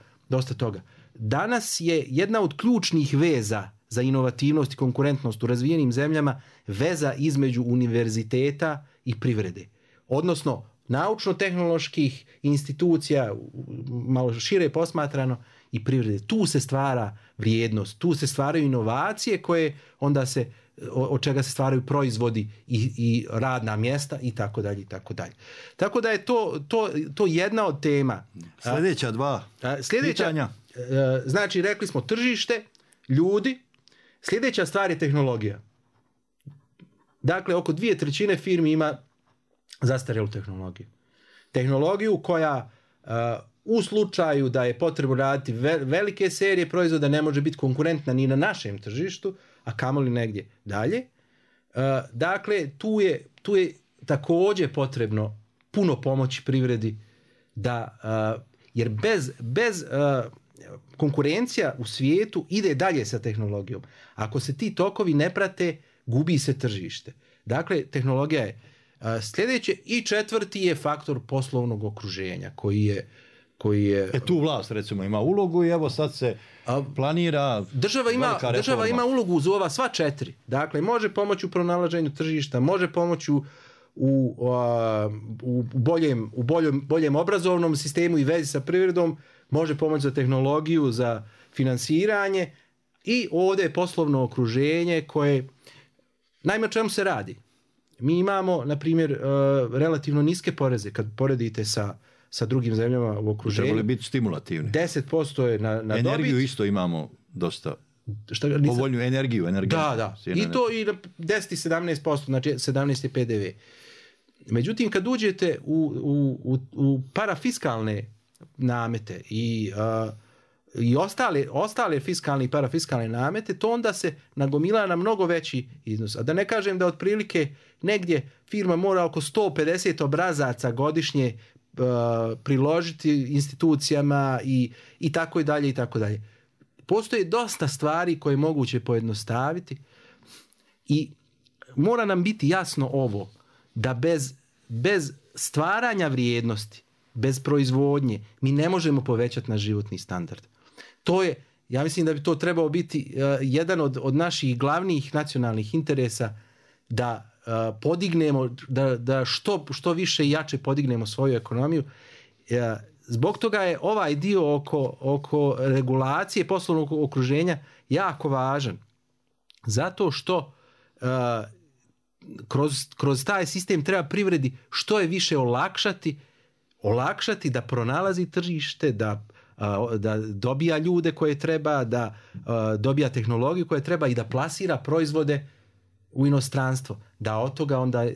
toga. Danas je jedna od ključnih veza za inovativnost i konkurentnost u razvijenim zemljama veza između univerziteta i privrede. Odnosno, naučno-tehnoloških institucija, malo šire posmatrano, i privrede. Tu se stvara vrijednost, tu se stvaraju inovacije koje onda od čega se stvaraju proizvodi i radna mjesta i tako dalje i tako dalje. Tako da je to jedna od tema. Sljedeća dva pitanja. Znači, rekli smo tržište, ljudi. Sljedeća stvar je tehnologija. Dakle, oko 2/3 firmi ima zastarjelu tehnologiju. Tehnologiju koja u slučaju da je potrebno raditi velike serije proizvoda ne može biti konkurentna ni na našem tržištu, a kamoli negdje dalje. Dakle, tu je također potrebno puno pomoći privredi jer bez konkurencija u svijetu ide dalje sa tehnologijom. Ako se ti tokovi ne prate, gubi se tržište. Dakle, tehnologija je Sljedeće i četvrti je faktor poslovnog okruženja koji je tu vlast recimo ima ulogu i evo sad se planira država ima ulogu uz ova sva četiri. Dakle, može pomoći u pronalaženju tržišta, može pomoći u boljem obrazovnom sistemu i vezi sa privredom, može pomoći za tehnologiju, za finansiranje i ovdje je poslovno okruženje koje, naime o čemu se radi. Mi imamo, na primjer, relativno niske poreze kad poredite sa drugim zemljama u okruženju. Trebali biti stimulativni. 10% je na dobit. Energiju isto imamo dosta. Povoljnu energiju. Da. I to i 10 i 17%, znači 17 je PDV. Međutim, kad uđete u parafiskalne namete i ostale fiskalne i parafiskalne namete, to onda se nagomila na mnogo veći iznos. A da ne kažem da otprilike negdje firma mora oko 150 obrazaca godišnje priložiti institucijama i tako i dalje i tako dalje. Postoje dosta stvari koje je moguće pojednostaviti i mora nam biti jasno ovo, da bez stvaranja vrijednosti, bez proizvodnje, mi ne možemo povećati naš životni standard. To je, ja mislim da bi to trebao biti jedan od naših glavnih nacionalnih interesa, da podignemo, da što više i jače podignemo svoju ekonomiju. Zbog toga je ovaj dio oko regulacije poslovnog okruženja jako važan. Zato što kroz taj sistem treba privredi što je više olakšati da pronalazi tržište, da dobija ljude koje treba, da dobija tehnologiju koje treba i da plasira proizvode u inostranstvo. Da od toga onda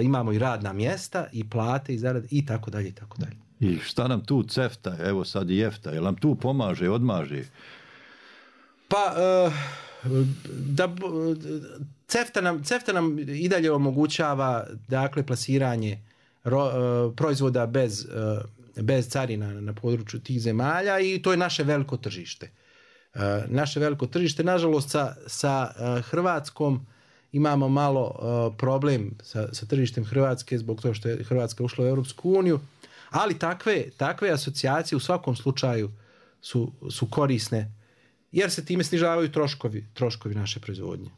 imamo i radna mjesta i plate i zarade i tako dalje i tako dalje. I šta nam tu CEFTA, evo sad i EFTA, jel nam tu pomaže, odmaže? Pa CEFTA nam i dalje omogućava, dakle, plasiranje proizvoda bez carina na području tih zemalja i to je naše veliko tržište. Nažalost, sa Hrvatskom imamo malo problem sa tržištem Hrvatske zbog toga što je Hrvatska ušla u Europsku uniju, ali takve asocijacije u svakom slučaju su korisne jer se time snižavaju troškovi naše proizvodnje.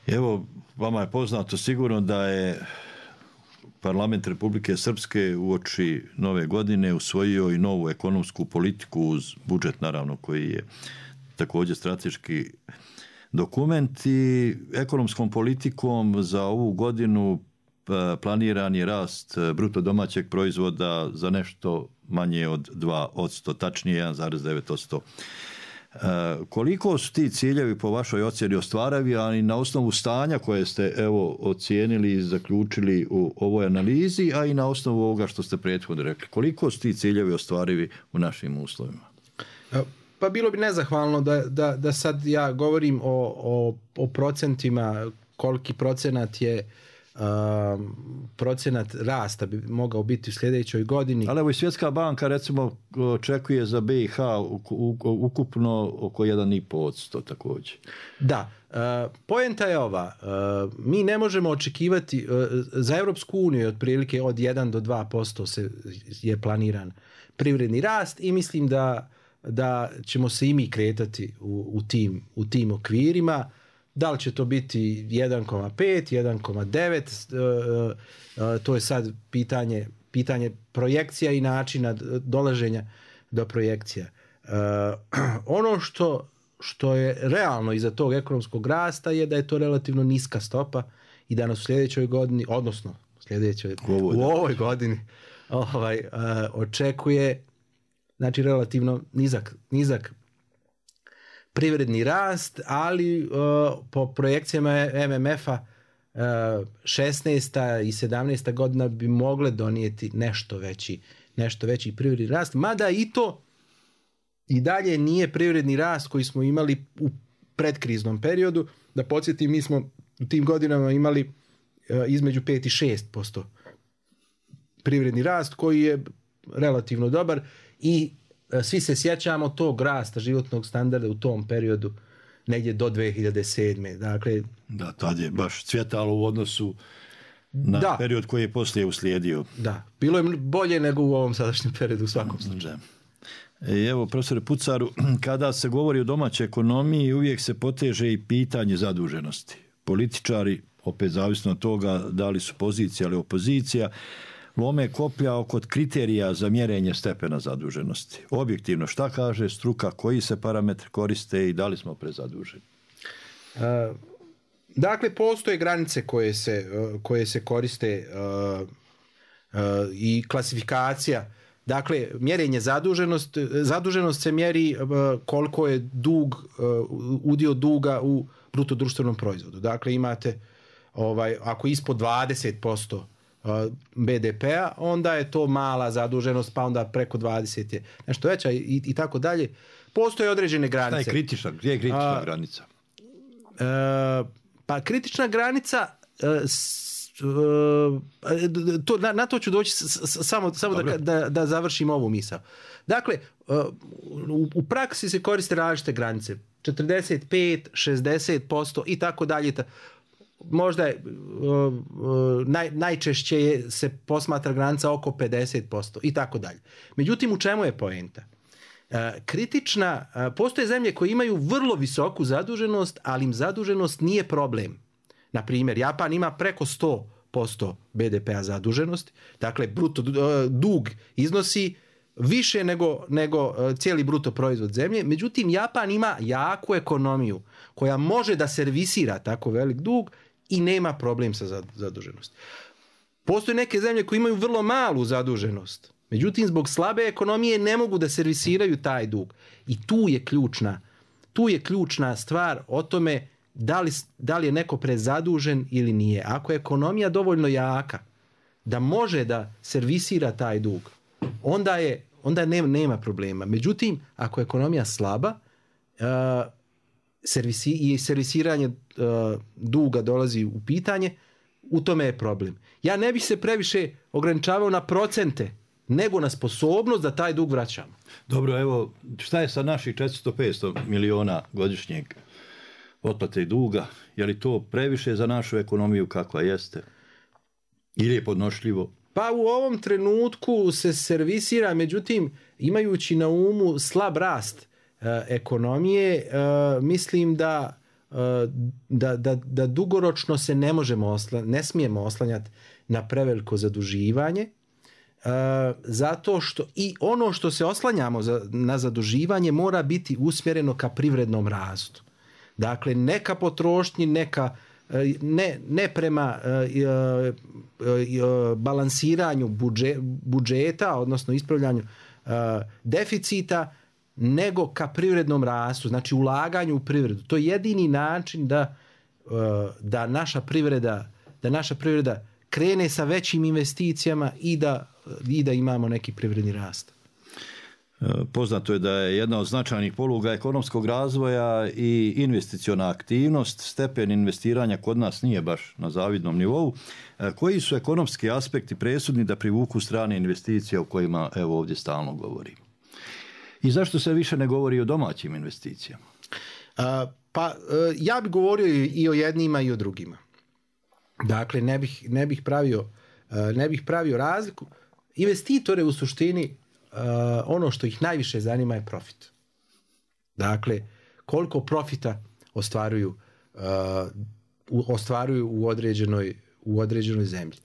Evo, vama je poznato sigurno da je Parlament Republike Srpske uoči nove godine usvojio i novu ekonomsku politiku uz budžet, naravno, koji je također strateški dokument i ekonomskom politikom za ovu godinu planiran je rast bruto domaćeg proizvoda za nešto manje od 2%, tačnije 1,9%. Koliko su ti ciljevi po vašoj ocjeni ostvarivi, a i na osnovu stanja koje ste ocijenili i zaključili u ovoj analizi, a i na osnovu ovoga što ste prethodno rekli, koliko su ti ciljevi ostvarivi u našim uslovima? Pa bilo bi nezahvalno da sad ja govorim o procentima, koliki procenat je procenat rasta bi mogao biti u sljedećoj godini. Ali evo i Svjetska banka recimo očekuje za BiH ukupno oko 1,5% također. Da, poenta je ova, mi ne možemo očekivati, za Europsku uniju otprilike od 1 do 2% je planiran privredni rast i mislim da ćemo se i mi kretati u tim okvirima. Da li će to biti 1,5, 1,9, to je sad pitanje projekcija i načina dolaženja do projekcija. Ono što je realno iza tog ekonomskog rasta je da je to relativno niska stopa i da nas u sljedećoj godini, odnosno u ovoj godini očekuje, znači, relativno nizak privredni rast, ali po projekcijama MMF-a 16. i 17. godina bi mogle donijeti nešto veći privredni rast, mada i to i dalje nije privredni rast koji smo imali u predkriznom periodu. Da podsjetim, mi smo u tim godinama imali između 5 i 6% privredni rast koji je relativno dobar i svi se sjećamo tog rasta životnog standarda u tom periodu negdje do 2007. Dakle, da, tad je baš cvjetalo u odnosu na period koji je poslije uslijedio. Da, bilo je bolje nego u ovom sadašnjem periodu u svakom slučaju. Evo, profesore Pucaru, kada se govori o domaćoj ekonomiji, uvijek se poteže i pitanje zaduženosti. Političari, opet zavisno od toga da li su pozicija ili opozicija, lome koplja oko kriterija za mjerenje stepena zaduženosti. Objektivno, šta kaže struka, koji se parametri koriste i da li smo prezaduženi? Dakle, postoje granice koje se koriste i klasifikacija. Dakle, mjerenje zaduženost se mjeri koliko je udio duga u bruto društvenom proizvodu. Dakle, imate ako ispod 20% BDP-a, onda je to mala zaduženost, pa onda preko 20 je nešto veća i tako dalje. Postoje određene granice. Gdje je kritična granica? Pa kritična granica, na to ću doći samo da završim ovu misao. Dakle, u praksi se koriste različite granice. 45, 60% i tako dalje. Možda najčešće se posmatra granica oko 50% i tako dalje. Međutim, u čemu je poenta? Postoje zemlje koje imaju vrlo visoku zaduženost, ali im zaduženost nije problem. Na primjer, Japan ima preko 100% BDP-a zaduženosti, dakle bruto dug iznosi više nego cijeli bruto proizvod zemlje. Međutim, Japan ima jaku ekonomiju koja može da servisira tako velik dug i nema problem sa zaduženosti. Postoje neke zemlje koje imaju vrlo malu zaduženost, međutim zbog slabe ekonomije ne mogu da servisiraju taj dug. I tu je ključna stvar o tome da li je neko prezadužen ili nije. Ako je ekonomija dovoljno jaka da može da servisira taj dug, onda nema problema. Međutim, ako je ekonomija slaba i servisiranje duga dolazi u pitanje, u tome je problem. Ja ne bih se previše ograničavao na procente, nego na sposobnost da taj dug vraćamo. Dobro, evo, šta je sa naših 400-500 miliona godišnjeg otplate duga? Je li to previše za našu ekonomiju kakva jeste? Ili je podnošljivo? Pa u ovom trenutku se servisira, međutim, imajući na umu slab rast ekonomije, mislim da dugoročno se ne smijemo oslanjati na preveliko zaduživanje, zato što i ono što se oslanjamo na zaduživanje mora biti usmjereno ka privrednom rastu. Dakle, neka potrošnji, ne prema balansiranju budžeta, odnosno ispravljanju deficita, nego ka privrednom rastu, znači ulaganju u privredu. To je jedini način da naša privreda krene sa većim investicijama i da imamo neki privredni rast. Poznato je da je jedna od značajnih poluga ekonomskog razvoja i investiciona aktivnost. Stepen investiranja kod nas nije baš na zavidnom nivou. Koji su ekonomski aspekti presudni da privuku strane investicije o kojima evo ovdje stalno govorimo? I zašto se više ne govori o domaćim investicijama? Ja bih govorio i o jednima i o drugima. Dakle, ne bih pravio razliku. Investitore u suštini ono što ih najviše zanima je profit. Dakle, koliko profita ostvaruju u određenoj zemlji.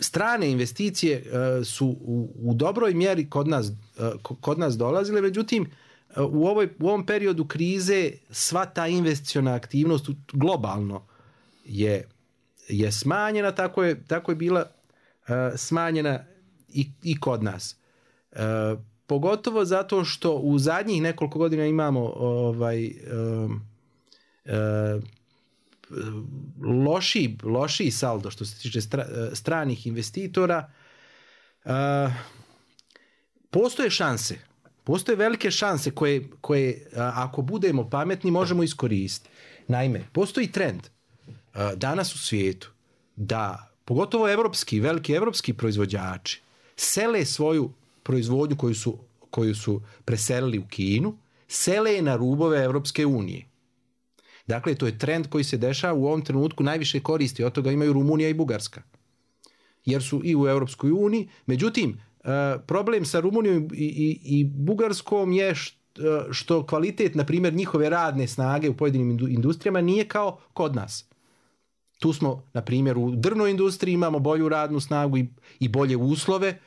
Strane investicije su u dobroj mjeri kod nas dolazile, međutim u ovom periodu krize sva ta investiciona aktivnost globalno je smanjena, tako je bila smanjena i kod nas. Pogotovo zato što u zadnjih nekoliko godina imamo lošiji saldo što se tiče stranih investitora. Postoje velike šanse koje ako budemo pametni možemo iskoristiti. Naime, postoji trend danas u svijetu da pogotovo veliki evropski proizvođači sele svoju proizvodnju koju su preselili u Kinu, sele je na rubove Evropske unije. Dakle, to je trend koji se dešava u ovom trenutku, najviše koristi od toga imaju Rumunija i Bugarska. Jer su i u Europskoj uniji. Međutim, problem sa Rumunijom i Bugarskom je što kvalitet, na primjer, njihove radne snage u pojedinim industrijama nije kao kod nas. Tu smo, na primjer, u drvnoj industriji imamo bolju radnu snagu i bolje uslove.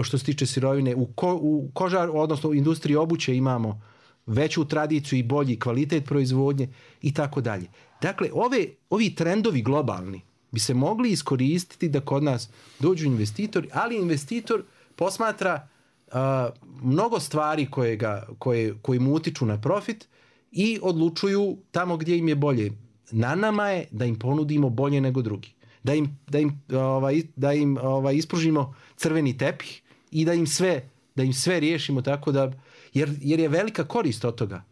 Što se tiče sirovine, u odnosno u industriji obuće imamo veću tradiciju i bolji kvalitet proizvodnje i tako dalje. Dakle, ovi trendovi globalni bi se mogli iskoristiti da kod nas dođu investitori, ali investitor posmatra mnogo stvari koje mu utiču na profit i odlučuju tamo gdje im je bolje. Na nama je da im ponudimo bolje nego drugi. Da im ispružimo crveni tepih i da im sve riješimo tako da, jer je velika korist od toga.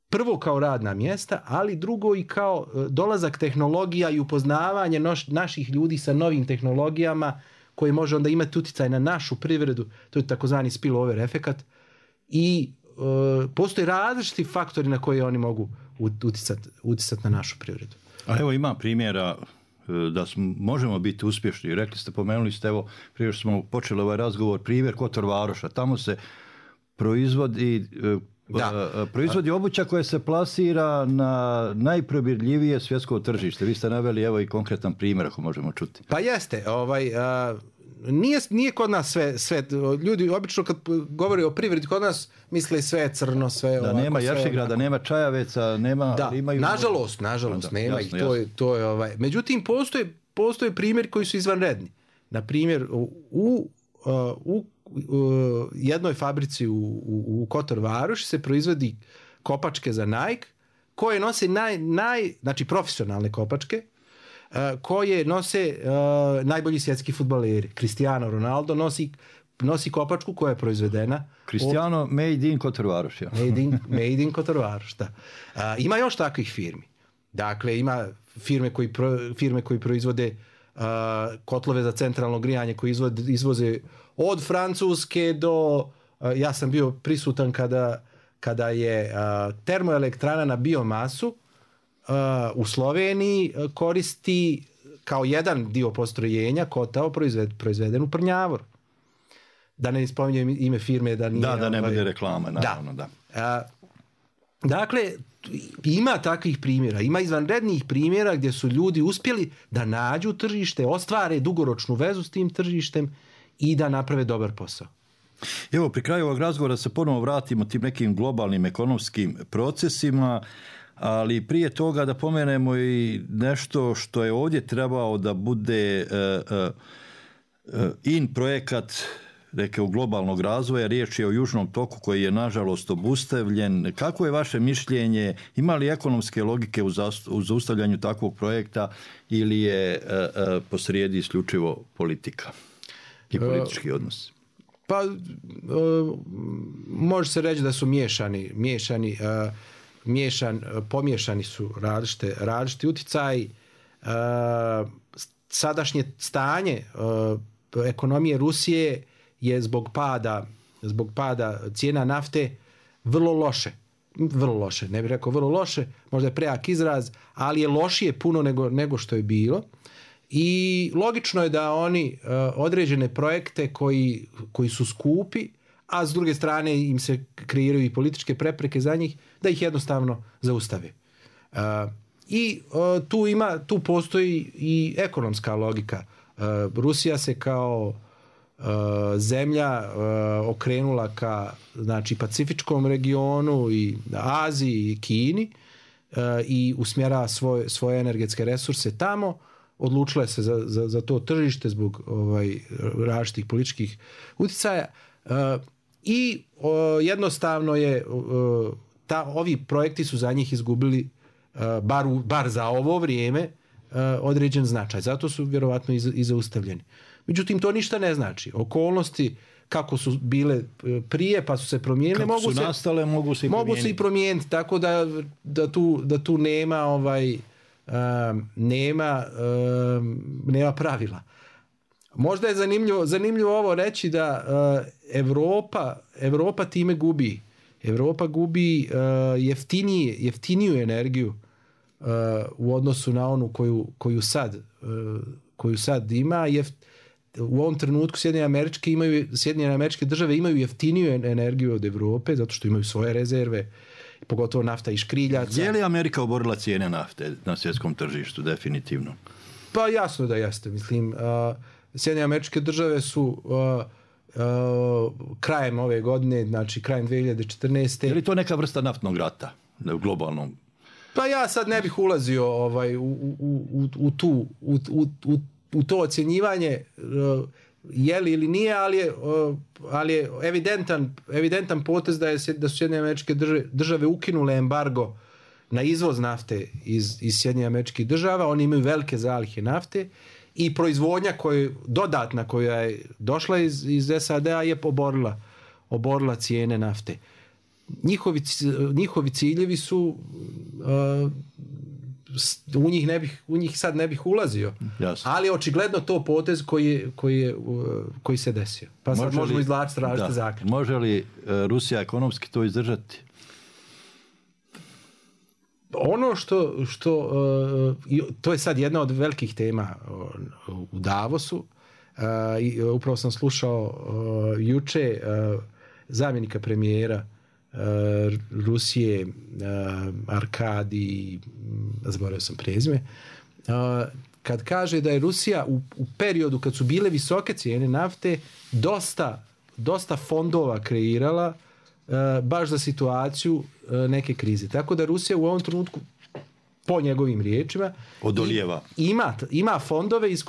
Prvo kao radna mjesta, ali drugo i kao dolazak tehnologija i upoznavanje naših ljudi sa novim tehnologijama koji može onda imati utjecaj na našu privredu. To je takozvani spillover efekat. I postoje različiti faktori na koje oni mogu utjecati na našu privredu. A evo ima primjera da možemo biti uspješni. Rekli ste, pomenuli ste, evo, prije što smo počeli ovaj razgovor, primjer Kotor Varoša. Tamo se proizvodi obuća koja se plasira na najprobirljivije svjetsko tržište. Vi ste naveli, evo, i konkretan primjer, ako možemo čuti. Pa jeste. Nije kod nas sve. Ljudi obično kad govore o privredi kod nas misle sve je crno, sve je ovako. Da nema Jašigrada, nema Čajaveca, nema... Da, imaju... nažalost nema ih. To je Međutim, postoje primjeri koji su izvanredni. Na primjer, u jednoj fabrici u Kotor Varoši se proizvodi kopačke za Nike koje nose znači profesionalne kopačke koje nose najbolji svjetski fudbaleri. Cristiano Ronaldo nosi kopačku koja je proizvedena. Cristiano made in Kotor Varoš. Ja. Made in Kotor Varoš, da. Ima još takvih firmi. Dakle, ima firme koji proizvode kotlove za centralno grijanje koji izvoze od Francuske do... Ja sam bio prisutan kada je termoelektrana na biomasu u Sloveniji koristi kao jedan dio postrojenja kotao proizveden u Prnjavoru. Da ne spominjem ime firme da nije... Da ne bude reklama, naravno, da. Dakle, ima takvih primjera, ima izvanrednih primjera gdje su ljudi uspjeli da nađu tržište, ostvare dugoročnu vezu s tim tržištem i da naprave dobar posao. Evo, pri kraju ovog razgovora se ponovo vratimo tim nekim globalnim ekonomskim procesima, ali prije toga da pomenemo i nešto što je ovdje trebao da bude projekat rekao globalnog razvoja. Riječ je o Južnom toku koji je nažalost obustavljen. Kako je vaše mišljenje? Ima li ekonomske logike u zaustavljanju takvog projekta ili je posrijedi isključivo politika i politički odnos? Pa može se reći da su pomiješani su različiti utjecaji. Sadašnje stanje ekonomije Rusije je zbog pada cijena nafte vrlo loše, ne bih rekao vrlo loše, možda je prejak izraz, ali je lošije puno nego što je bilo. I logično je da oni određene projekte koji su skupi, a s druge strane im se kreiraju i političke prepreke za njih, da ih jednostavno zaustave. I tu postoji i ekonomska logika. Rusija se kao zemlja okrenula ka Pacifičkom regionu i Aziji i Kini i usmjerava svoje energetske resurse tamo. Odlučila se za to tržište zbog različitih političkih utjecaja i jednostavno je ovi projekti su za njih izgubili bar za ovo vrijeme određen značaj. Zato su vjerovatno i zaustavljeni. Međutim, to ništa ne znači. Okolnosti kako su bile prije pa su se promijenile, mogu se i promijeniti, tako da tu nema pravila. Možda je zanimljivo ovo reći da Europa time gubi. Europa gubi jeftiniju energiju u odnosu na onu koju sad ima. U ovom trenutku Sjedinjene Američke Države imaju jeftiniju energiju od Europe zato što imaju svoje rezerve, pogotovo nafta iz škriljaca. Je li Amerika oborila cijene nafte na svjetskom tržištu? Definitivno. Pa jasno da jeste. Mislim, Sjedinjene Američke Države su krajem ove godine, znači krajem 2014. Je li to neka vrsta naftnog rata u globalnom? Pa ja sad ne bih ulazio u to ocjenjivanje je li ili nije, ali je evidentan potez da su Sjedinjene Američke Države ukinule embargo na izvoz nafte iz Sjedinjenih Američkih Država. Oni imaju velike zalihe nafte i proizvodnja dodatna koja je došla iz SAD-a je oborila cijene nafte. Njihovi ciljevi su u njih sad ne bih ulazio. Jasno. Ali očigledno to potez koji se desio. Pa sad možemo izvlačiti različite zaključke. Može li Rusija ekonomski to izdržati? Ono što to je sad jedna od velikih tema u Davosu. Upravo sam slušao juče zamjenika premijera Rusije Arkadi, zaboravio sam prezime, kad kaže da je Rusija u periodu kad su bile visoke cijene nafte dosta fondova kreirala baš za situaciju neke krize. Tako da Rusija u ovom trenutku, po njegovim riječima, odolijeva. Ima fondove iz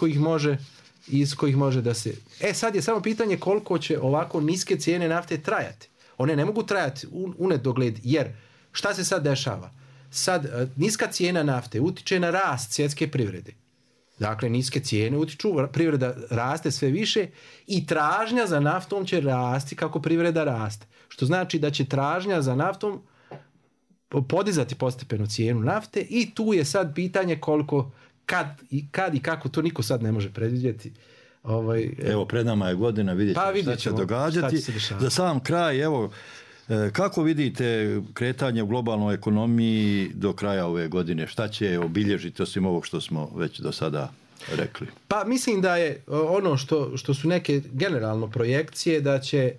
kojih može da se... Sad je samo pitanje koliko će ovako niske cijene nafte trajati. One ne mogu trajati u nedogled, jer šta se sad dešava? Sad niska cijena nafte utiče na rast svjetske privrede. Dakle, niske cijene utiču, privreda raste sve više i tražnja za naftom će rasti kako privreda raste. Što znači da će tražnja za naftom podizati postepeno cijenu nafte i tu je sad pitanje koliko, kad i kako, to niko sad ne može predvidjeti. Evo, pred nama je godina, vidjet ćemo šta će događati. Za sam kraj, evo, kako vidite kretanje u globalnoj ekonomiji do kraja ove godine? Šta će obilježiti osim ovog što smo već do sada rekli? Pa mislim da je ono što su neke generalno projekcije da će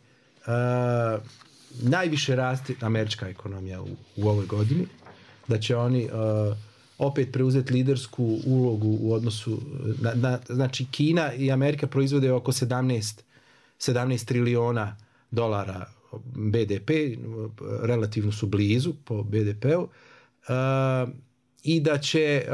najviše rasti američka ekonomija u ovoj godini, da će oni opet preuzeti lidersku ulogu u odnosu znači Kina i Amerika proizvode oko 17 trilijona dolara BDP, relativno su blizu po BDP-u, i da će